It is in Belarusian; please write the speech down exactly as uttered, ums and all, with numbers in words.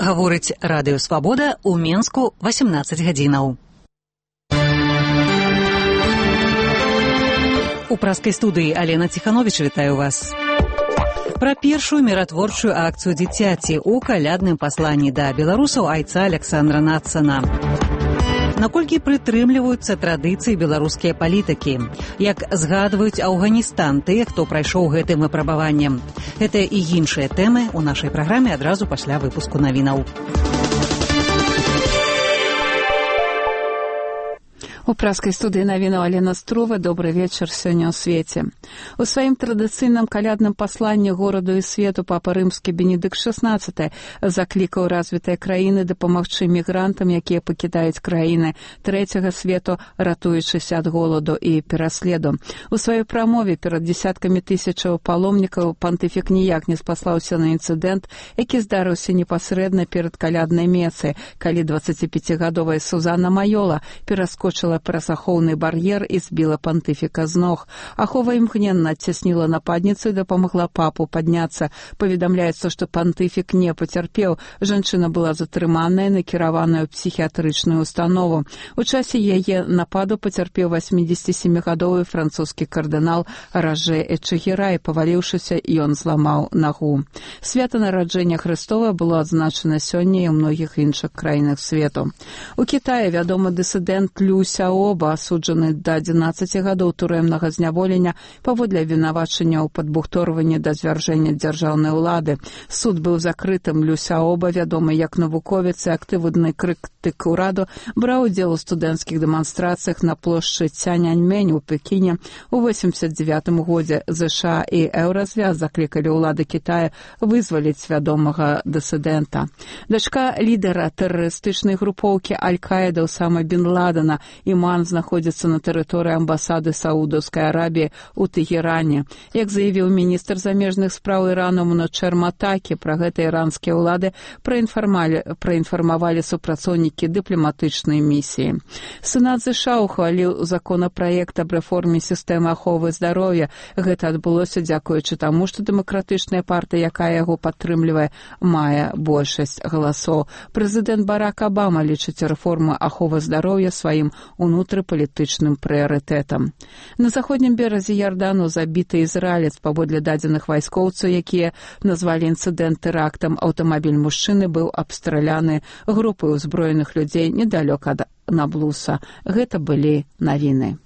Гаворыць радыё Свабода, у Менску васемнаццаць гадзінаў. У праскай студыі Алена Ціхановіч вітаю вас. Пра першую міратворчую акцыю дзіцяці ў калядным пасланні да беларусаў айца Аляксандра Нацана. Наколькі прытрымліваюцца традыцыі беларускія палітыкі? Як згадваюць Афганістан тыя, хто прайшоў гэтым выпрабаваннем? Гэта і іншыя тэмы ў нашай праграме адразу пасля выпуску навінаў. У праскай студыі навінаў Алена Струва. Добры вечар сёння ў свеце. У сваім традыцыйным калядным пасланні гораду і свету папа рымскі Бенедыкт шаснаццаты заклікаў развітыя краіны дапамагчы мігрантам, якія пакідаюць краіны трэцяга свету, ратуючыся ад голаду і пераследу. У сваёй прамове перад дзесяткамі тысячаў паломнікаў пантыфік ніяк не спаслаўся на інцыдэнт, які здарыўся непасрэдна перад каляднай месай, калі дваццаціпяцігадовая Сузанна Майола пераскочыла праз ахоўны бар'ер і збіла пантыфіка з ног. Ахова імгненна адцясніла нападніцу і дапамагла папу падняцца. Паведамляецца, што пантыфік не пацярпеў. Жанчына была затрыманая, накіраваная ў псіхіятрычную установу. У часе яе нападу пацярпеў васьмідзесятсемігадовы французскі кардынал Ражэ Эчэгерай. Паваліўшыся, ён зламаў нагу. Свята нараджэння Хрыстова было адзначана сёння і ў многіх іншых краінах свету. У Кітаі вядомы дысідэнт Лю Сяоба, асуджаны да адзінаццаці гадоў турэмнага зняволення паводле абвінавачання ў падбухторванні да звяржэння дзяржаўнай улады. Суд быў закрытым. Лю Сяоба, вядомы як навуковец і актыўны крытык ураду, браў удзел у студэнцкіх дэманстрацыях на плошчы Цяньаньмэнь у Пекіне. У восемьдесят девятым годзе ЗША і Еўразвяз заклікалі ўлады Кітая вызваліць вядомага дысідэнта. Дачка лідара тэрарыстычнай групоўкі Аль-Каіда Усама бен Ладена Іман знаходзіцца на тэрыторыі амбасады Саудаўскай Арабіі ў Тэгеране. Як заявіў міністр замежных спраў Ірану Муночер Матакі, пра гэта іранскія ўлады праінфармавалі супрацоўнікі дыпламатычнай місіі. Сенат ЗША ухваліў законапраект аб рэформе сістэмы аховы здароўя. Гэта адбылося дзякуючы таму, што дэмакратычная партыя, якая яго падтрымлівае, мае большасць галасоў. Прэзідэнт Барак Абама лічыць рэформу аховы здароўя сваім унутрыпалітычным прыярытэтам. На заходнім беразе Ярдану забіты ізраілец. Паводле дадзеных вайскоўцаў, якія назвалі інцыдэнт тэрактам, аўтамабіль мужчыны быў абстраляны групай узброеных людзей недалёка ад Наблуса. Гэта былі навіны.